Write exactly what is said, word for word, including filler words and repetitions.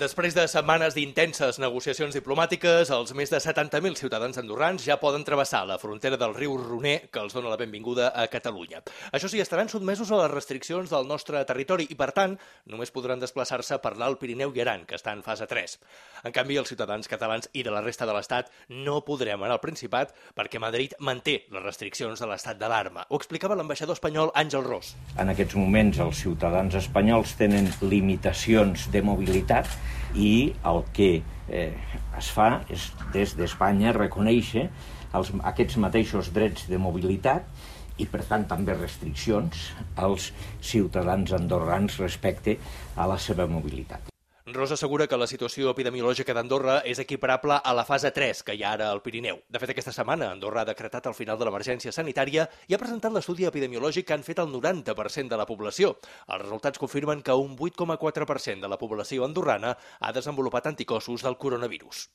Després de setmanes d'intenses negociacions diplomàtiques, els més de setanta mil ciutadans andorrans ja poden travessar la frontera del riu Roner, que els dona la benvinguda a Catalunya. Això sí, estaran sotmesos a les restriccions del nostre territori i, per tant, només podran desplaçar-se per l'Alt Pirineu i Aran, que està en fase tres. En canvi, els ciutadans catalans i de la resta de l'Estat no podrem anar al Principat perquè Madrid manté les restriccions de l'estat d'alarma. Ho explicava l'ambaixador espanyol Àngel Ros. En aquests moments els ciutadans espanyols tenen limitacions de mobilitat i el que eh, es fa és des d'Espanya reconèixer els, aquests mateixos drets de mobilitat i per tant també restriccions als ciutadans andorrans respecte a la seva mobilitat. Ros assegura que la situació epidemiològica d'Andorra és equiparable a la fase tres que hi ha ara al Pirineu. De fet, aquesta setmana Andorra ha decretat el final de l'emergència sanitària i ha presentat l'estudi epidemiològic que han fet el noranta per cent de la població. Els resultats confirmen que un vuit coma quatre per cent de la població andorrana ha desenvolupat anticossos del coronavirus.